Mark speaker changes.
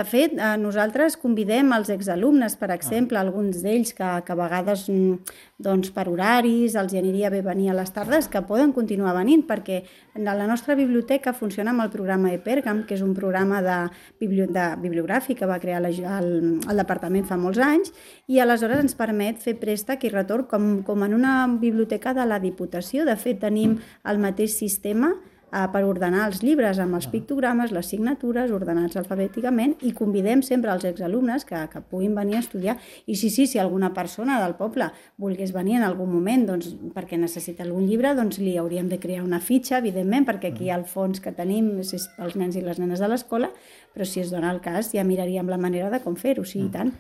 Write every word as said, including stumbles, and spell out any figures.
Speaker 1: De fet, nosaltres convidem els exalumnes, per exemple, alguns d'ells que, que a vegades doncs, per horaris els aniria bé venir a les tardes, que poden continuar venint, perquè la nostra biblioteca funciona amb el programa ePergam, que és un programa de, bibli de bibliogràfic que va crear la, el, el departament fa molts anys, i aleshores ens permet fer préstec i retorn com, com en una biblioteca de la Diputació. De fet, tenim el mateix sistema per ordenar els llibres amb els pictogrames, les signatures, ordenats alfabèticament, i convidem sempre els exalumnes que, que puguin venir a estudiar. I sí, sí, si alguna persona del poble volgués venir en algun moment doncs, perquè necessita algun llibre, doncs li hauríem de crear una fitxa, evidentment, perquè aquí el fons que tenim és els nens i les nenes de l'escola, però si es dona el cas ja miraríem la manera de com fer-ho, sí, i tant.